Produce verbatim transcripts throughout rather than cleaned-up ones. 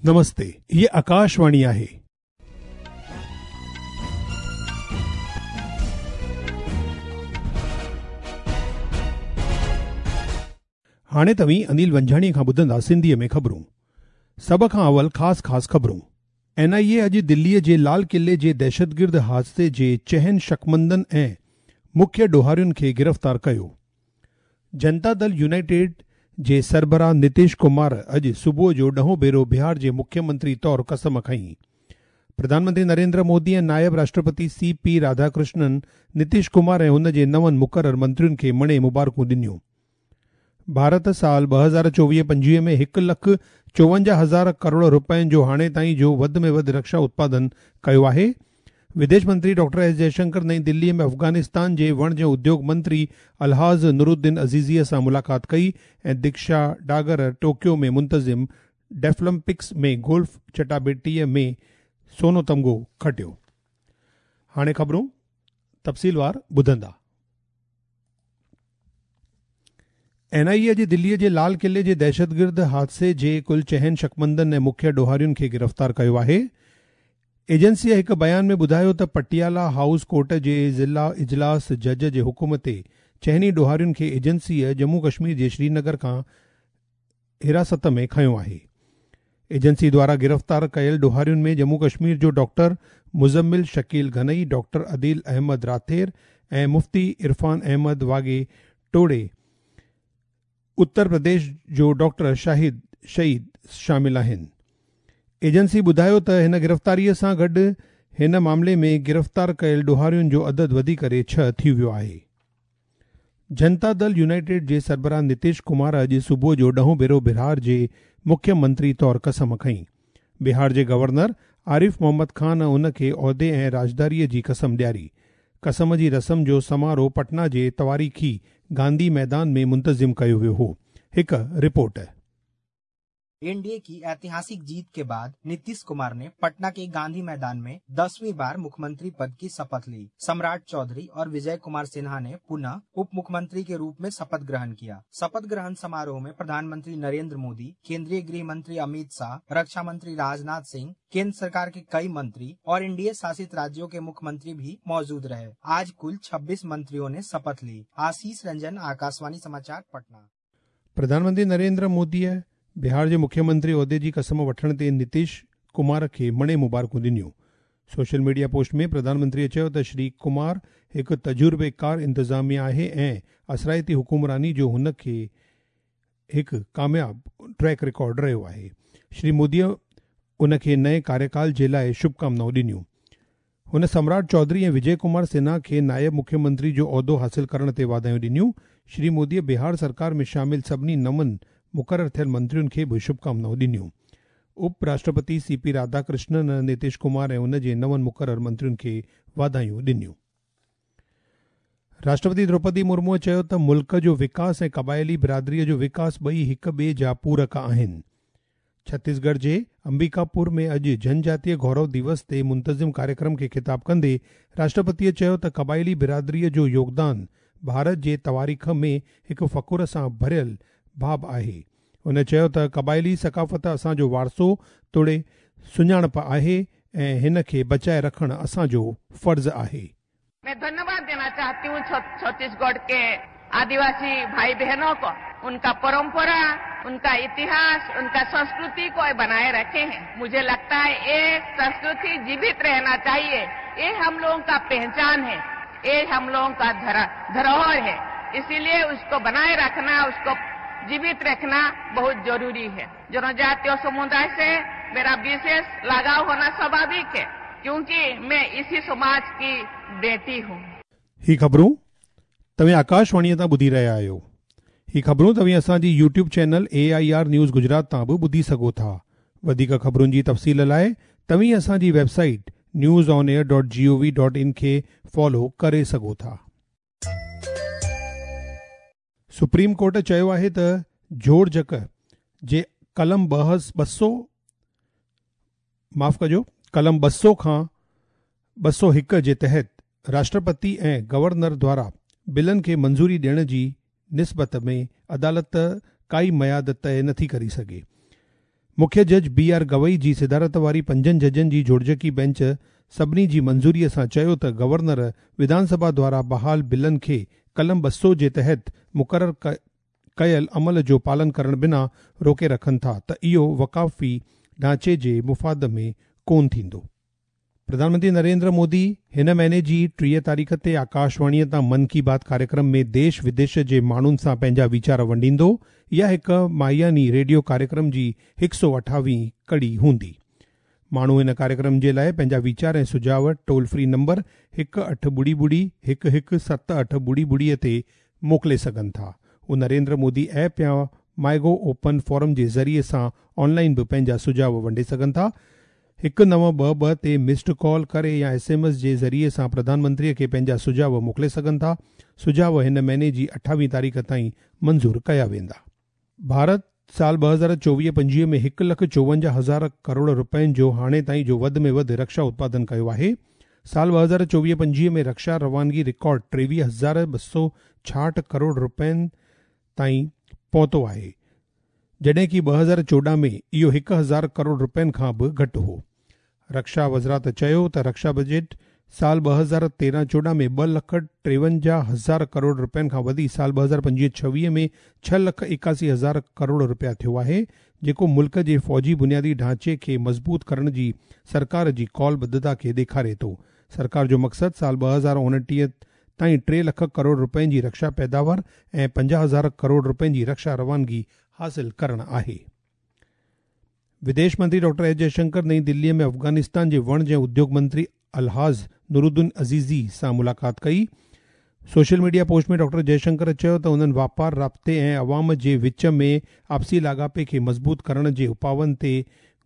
नमस्ते, ये आकाशवाणी आहे। हाणे तव्हीं अनिल वंझाणी खां ॿुधंदा सिंधीअ में ख़बरूं। सभ खां अवल ख़ासि ख़ासि ख़बरूं। एन आई ए अॼु दिल्लीअ जे लाल किले जे दहशतगिर्द हादसे जे चहनि शकमंदनि ऐं मुख्य ॾोहारियुनि खे गिरफ़्तार कयो। जनता दल यूनाइटेड जे सरबराह नितीश कुमार अॼु सुबुह जो ॾहों भेरो बिहार जे मुख्यमंत्री तौर कसम खई। प्रधानमंत्री नरेंद्र मोदी ऐं नायब राष्ट्रपति सी पी राधाकृष्णन नितीश कुमार ऐं हुन जे नवनि मुक़ररु मंत्रियुनि खे मणे मुबारकूं ॾिनियूं। भारत साल ॿ हज़ार चोवीह पंजवीह में हिकु लख चोवंजाह हज़ार करोड़ रुपयनि जो हाणे ताईं जो वधि में वधि रक्षा उत्पादन कयो आहे। विदेश मंत्री डॉक्टर एस जयशंकर नई दिल्ली में अफ़गानिस्तान जे वणज उद्योग मंत्री अलहाज़ नुरुद्दीन अज़ीज़ीअ सां मुलाक़ात कई ऐं दीक्षा डागर टोक्यो में मुंतज़िम डेफलम्पिक्स में गोल्फ चटाबेटीअ में सोनो तमगो खटियो। हाणे ख़बरूं तफ़सीलवार ॿुधंदा। एन आई ए अॼु दिल्लीअ जे लाल किले जे दहशतगिर्द हादसे जे कुल चहनि शकमंदनि ऐं मुख्य ॾोहारियुनि खे गिरफ़्तार कयो आहे। एजेंसीअ हिकु बयान में ॿुधायो त पटियाला हाउस कोर्ट जे ज़िला इजलास जज जे हुकुम ते चहनि ॾोहारियुनि खे एजेंसीअ जम्मू कश्मीर जे श्रीनगर खां हिरासत में खयो आहे। एजेंसी द्वारा गिरफ़्तार कयल ॾोहारियुनि में जम्मू कश्मीर जो डॉक्टर मुज़म्मिल शकील घनई, डॉक्टर अदील अहमद राथेर ऐं मुफ्ती इरफान अहमद वागे टोड़े, उत्तर प्रदेश जो डॉक्टर शाहिद शहीद शामिल आहिनि। एजेंसी ॿुधायो त हिन गिरफ़्तारीअ सां गॾु हिन मामले में गिरफ़्तार कयल ॾोहारियुनि जो अदद वधी करे छह थी वियो आहे। जनता दल यूनाइटेड जे सरबराह नितीश कुमार अॼु सुबुह जो ॾहों भेरो बिहार जे मुख्यमंत्री तौर कसम खई। बिहार जे गवर्नर आरिफ मोहम्मद खान उनखे उहिदे ऐं राजदारीअ जी कसम ॾियारी। कसम जी रस्म जो समारोह पटना जे तवारीख़ी गांधी मैदान में मुंतज़िम कयो वियो हो। हिकु रिपोर्ट। एनडीए की ऐतिहासिक जीत के बाद नीतीश कुमार ने पटना के गांधी मैदान में दसवीं बार मुख्यमंत्री पद की शपथ ली। सम्राट चौधरी और विजय कुमार सिन्हा ने पुनः उप मुख्यमंत्री के रूप में शपथ ग्रहण किया। शपथ ग्रहण समारोह में प्रधानमंत्री नरेंद्र मोदी, केंद्रीय गृह मंत्री अमित शाह, रक्षा मंत्री राजनाथ सिंह, केंद्र सरकार के कई मंत्री और एनडीए शासित राज्यों के मुख्यमंत्री भी मौजूद रहे। आज कुल छब्बीस मंत्रियों ने शपथ ली। आशीष रंजन, आकाशवाणी समाचार, पटना। प्रधानमंत्री नरेंद्र मोदी बिहार जे मुख्यमंत्री उहिदे जी कसम वठण ते नितीश कुमार खे मणे मुबारकूं ॾिनियूं। सोशल मीडिया पोस्ट में प्रधानमंत्रीअ चयो त श्री कुमार हिकु तजुर्बेकार इंतज़ामिया आहे ऐं असराइती हुकुमरानी जो हुन खे हिकु कामयाब ट्रैक रिकॉर्ड रहियो आहे। श्री मोदीअ उनखे नए कार्यकाल जे लाइ शुभकामनाऊं ॾिनियूं। हुन सम्राट चौधरी ऐं विजय कुमार सिन्हा खे नायब मुख्यमंत्री जो उहिदो हासिल करण ते वाधायूं ॾिनियूं। श्री मोदीअ बिहार सरकार में शामिल सभिनी नवनि मुक़ररु थियल मंत्रियुनि खे बि शुभकामनाऊं ॾिनियूं। उप राष्ट्रपति सी पी राधाकृष्णन नितीश कुमार ऐं उन जे नवनि मुक़ररु मंत्रियुनि खे वाधायूं ॾिनियूं। राष्ट्रपति द्रौपदी मुर्मूअ चयो त मुल्क जो विकास ऐं क़बाइली बिरादरीअ जो विकास ॿई हिक ॿिए जा पूरक आहिनि। छत्तीसगढ़ जे अंबिकापुर में अॼु जनजातीय गौरव दिवस ते मुंतज़िम कार्यक्रम खे ख़िताब कंदे राष्ट्रपतीअ चयो त क़बाइली बिरादरीअ जो योगदान भारत जे तवारीख़ में हिकु फ़ख़ुर सां भरियल बाब आहे। हुन चयो त क़बाइली सकाफ़त असांजो वारसो तोड़े सुञाणप आहे ऐं हिन खे बचाए रखणु असांजो फ़र्ज़ आहे। मैं धन्यवाद देना चाहती हूँ छत्तीसगढ़ के आदिवासी भाई बहनों को, उनका परंपरा, उनका इतिहास, उनका संस्कृति को बनाए रखे हैं। मुझे लगता है ये संस्कृति जीवित रहना चाहिए। ये हम लोगों का पहचान है, ये हम लोगों का धरोहर है, इसीलिए उसको बनाए रखना, उसको जीवित रखना बहुत जरूरी है। जनजातीय समुदाय से मेरा विशेष लगाव होना स्वाभाविक है, क्योंकि मैं इसी समाज की बेटी हूँ। ही ख़बरूं तव्हीं आकाशवाणीअ तां ॿुधी रहिया आहियो। ही ख़बरूं तव्हीं असांजी YouTube channel A I R news Gujarat तां बि ॿुधी सघो था। वधीक ख़बरुनि जी तफ़सील लाइ तव्हीं असांजी website news on air dot G O V dot in खे फॉलो करे सघो था। सुप्रीम कोर्ट चयो आहे त जोड़जक जे कलम ॿ सौ माफ़ कजो कलम ॿ सौ खां ॿ सौ हिकु जे तहत राष्ट्रपति ऐं गवर्नर द्वारा बिलनि खे मंज़ूरी ॾियण जी निस्बत में अदालत काई मयाद तय नथी करी सघे। मुख्य जज बी आर गवई जी सदारत वारी पंजनि जजनि जी जोड़जकी बेंच सभिनी जी मंज़ूरीअ सां चयो त गवर्नर विधानसभा द्वारा बहाल बिलनि खे कलम ॿ सौ जे तहत मुक़ररु कयल अमल जो पालन करण बिना रोके रखनि था त इहो वकाफ़ी ढांचे जे मुफ़ाद में कोन थींदो। प्रधानमंत्री नरेंद्र मोदी हिन महीने जी टीह तारीख़ ते आकाशवाणीअ तां मन की बात कार्यक्रम में देश विदेश जे माण्हुनि सां पंहिंजा वीचार वंडींदो। इहा हिकु माहियानी रेडियो कार्यक्रम जी हिकु सौ अठावीह कड़ी हूंदी। माण्हू हिन कार्यक्रम जे लाइ पंहिंजा वीचार ऐं सुझाव टोल फ्री नंबर हिकु अठ ॿुड़ी ॿुड़ी हिकु हिकु सत अठ ॿुड़ी ॿुड़ीअ ते मोकिले सघनि था। उहो नरेंद्र मोदी ऐप या माइगो ओपन फोरम जे ज़रिए सां ऑनलाइन बि पंहिंजा सुझाव वंडे सघनि था। हिकु नव ॿ ॿ ते मिस्ड कॉल करे या एस एम एस जे ज़रिए सां प्रधानमंत्रीअ खे पंहिंजा सुझाव मोकिले सघनि था। सुझाव हिन महीने जी अठावीह तारीख़ ताईं मंज़ूर कया वेंदा। भारत साल ॿ हज़ार चोवीह पंजवीह में हिकु लख चोवंजाह हज़ार करोड़ रुपयनि जो हाणे ताईं जो वधि में वधि रक्षा उत्पादन कयो आहे। साल ॿ हज़ार चोवीह पंजवीह में रक्षा रवानगी रिकॉर्ड टेवीह हज़ार ॿ सौ छाहठि करोड़ रुपयनि ताईं पहुतो आहे, जॾहिं की ॿ हज़ार चोॾहं में इहो हिकु हज़ार करोड़ रुपयनि खां बि घटि हो। रक्षा वज़ारत चयो त रक्षा बजट साल ॿ हज़ार तेरहं चोॾहं में ॿ लख टेवंजाह हज़ार करोड़ रुपयनि खां वधी साल ॿ हज़ार पंजवीह छवीह में छह लख एकासी हज़ार करोड़ रुपया थियो आहे, जेको मुल्क जे फ़ौजी बुनियादी ढांचे खे मज़बूत करण जी सरकार जी कौलबद्धता खे ॾेखारे थो। सरकार जो मक़सदु साल ॿ हज़ार उणिटीह ताईं टे लख करोड़ रुपयनि जी रक्षा पैदावार ऐं पंजाह हज़ार करोड़ रुपयनि जी रक्षा रवानगी हासिल करणु आहे। विदेश मंत्री डॉक्टर एस जयशंकर नई दिल्लीअ में अफ़गानिस्तान जे वणज ऐं उद्योग मंत्री अलहाज़ नुरुद्दीन अज़ीज़ी सां मुलाक़ात कई। Social media post में डॉक्टर जयशंकर चयो त उन्हनि वापार, राब्ते ऐं अवाम जे विच में आपसी लाॻापे खे मज़बूत करण जे उपाउनि ते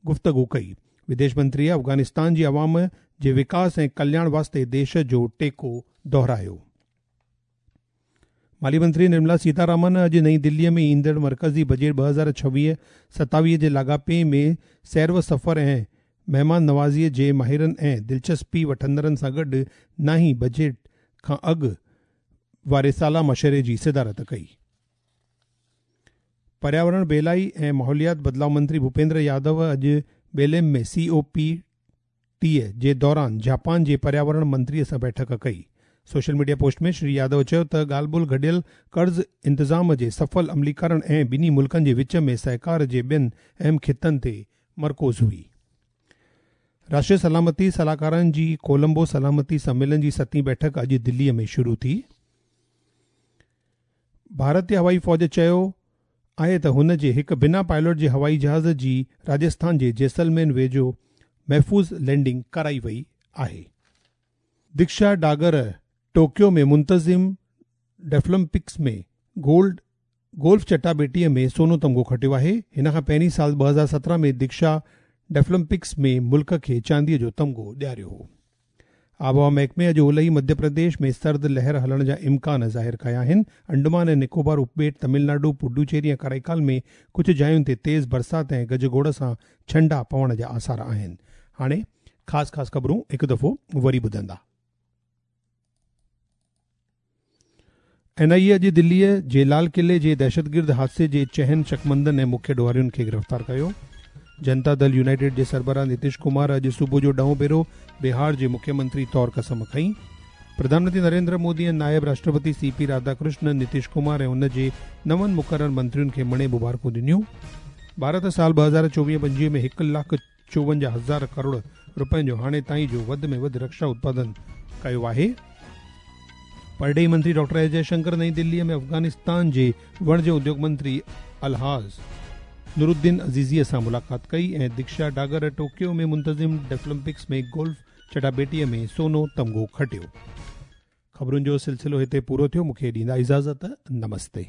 गुफ़्तगू कई। विदेश मंत्रीअ अफ़गानिस्तान जी अवाम जे विकास ऐं कल्याण वास्ते देश जो टेको दोहरायो। माली मंत्री निर्मला सीतारामन अॼु नई दिल्लीअ में ईंदड़ मर्कज़ी बजट ॿ हज़ार छवीह सतावीह जे लाॻापे में सैर व सफ़र ऐं महिमान नवाज़ीअ जे माहिरनि ऐं दिलचस्पी वठंदड़नि सां गॾु नाहीं बजट खां अॻु वारे साला मशवरे जी सदारत कई। पर्यावरण, बेलाई ऐं माहौलियात बदिलाव मंत्री भूपेंद्र यादव अॼु बेलेम में सी ओ पी टीह जे दौरान जापान जे पर्यावरण मंत्रीअ सां बैठक कई। सोशल मीडिया पोस्ट में श्री यादव चयो त ॻाल्हि ॿोल घटियल कर्ज़ इंतज़ाम जे सफल अमलीकरण ऐं ॿिन्ही मुल्कनि जे विच में सहकार जे ॿियनि अहम ख़ितनि ते मरकूज़ हुई। राष्ट्रीय सलामती सलाहकारनि जी कोलंबो सलामती सम्मेलन जी सतीं बैठक अॼु दिल्लीअ में शुरू थी। भारतीय हवाई फ़ौज चयो आहे त हुन जे हिकु बिना पायलट जे हवाई जहाज़ जी राजस्थान जे जैसलमेर वेझो महफ़ूज़ लैंडिंग कराई वई आहे। दीक्षा डागर टोक्यो में मुंतज़िम डेफलम्पिक्स में गोल्ड गोल्फ चटाबेटीअ में सोनो तमगो खटियो आहे। हिन खां पहिरीं साल ॿ हज़ार सत्रहं में दीक्षा डेफलम्पिक्स में मुल्क खे चांदीअ जो तमगो ॾियारियो हो। आबहवा महकमे अॼु ओलही मध्य प्रदेश में सर्द लहर हलण जा इम्कान ज़ाहिर कया आहिनि। अंडमान ऐं निकोबार उपॿेट, तमिलनाडु, पुडुचेरी ऐं कराईकाल में कुझु जायुनि ते तेज़ बरसाति ऐं गजगोड़ सां छंडा पवण जा आसार आहिनि। हाणे ख़ासि ख़ासि ख़बरूं हिकु दफ़ो वरी ॿुधंदा। एन आई ए अॼु दिल्लीअ जे लाल क़िले जे दहशतगिर्द हादसे जे चहनि शकमंदनि ऐं मुख्य ॾोहारियुनि खे गिरफ़्तार कयो। जनता दल यूनाइटेड जे सरबराह नीतीश कुमार अॼु सुबुह जो ॾहों भेरो बिहार जे मुख्यमंत्री तौर कसम खई। प्रधानमंत्री नरेंद्र मोदी ऐं नायब राष्ट्रपति सी पी राधाकृष्णन नीतीश कुमार ऐं उन जे नवनि मुक़ररु मंत्रियुनि खे मणे मुबारकूं ॾिनियूं। भारत साल ॿ हज़ार चोवीह पंजवीह में हिकु लाख चोवंजाह हज़ार करोड़ रुपयनि जो हाणे ताईं जो वधि में वधि रक्षा उत्पादन कयो आहे। परॾेही मंत्री डॉक्टर एस जयशंकर नई दिल्लीअ में अफ़गानिस्तान जे वणज उद्योग मंत्री अलहाज़ नुरुद्दीन अज़ीज़ीअ सां मुलाक़ात कई ऐं दीक्षा डागर टोक्यो में मुंतज़िम डेफलम्पिक्स में गोल्फ चटाबेटीअ में सोनो तमगो खटियो। ख़बरुनि जो सिलसिलो हिते पूरो थियो। मूंखे ॾींदा इजाज़त। नमस्ते।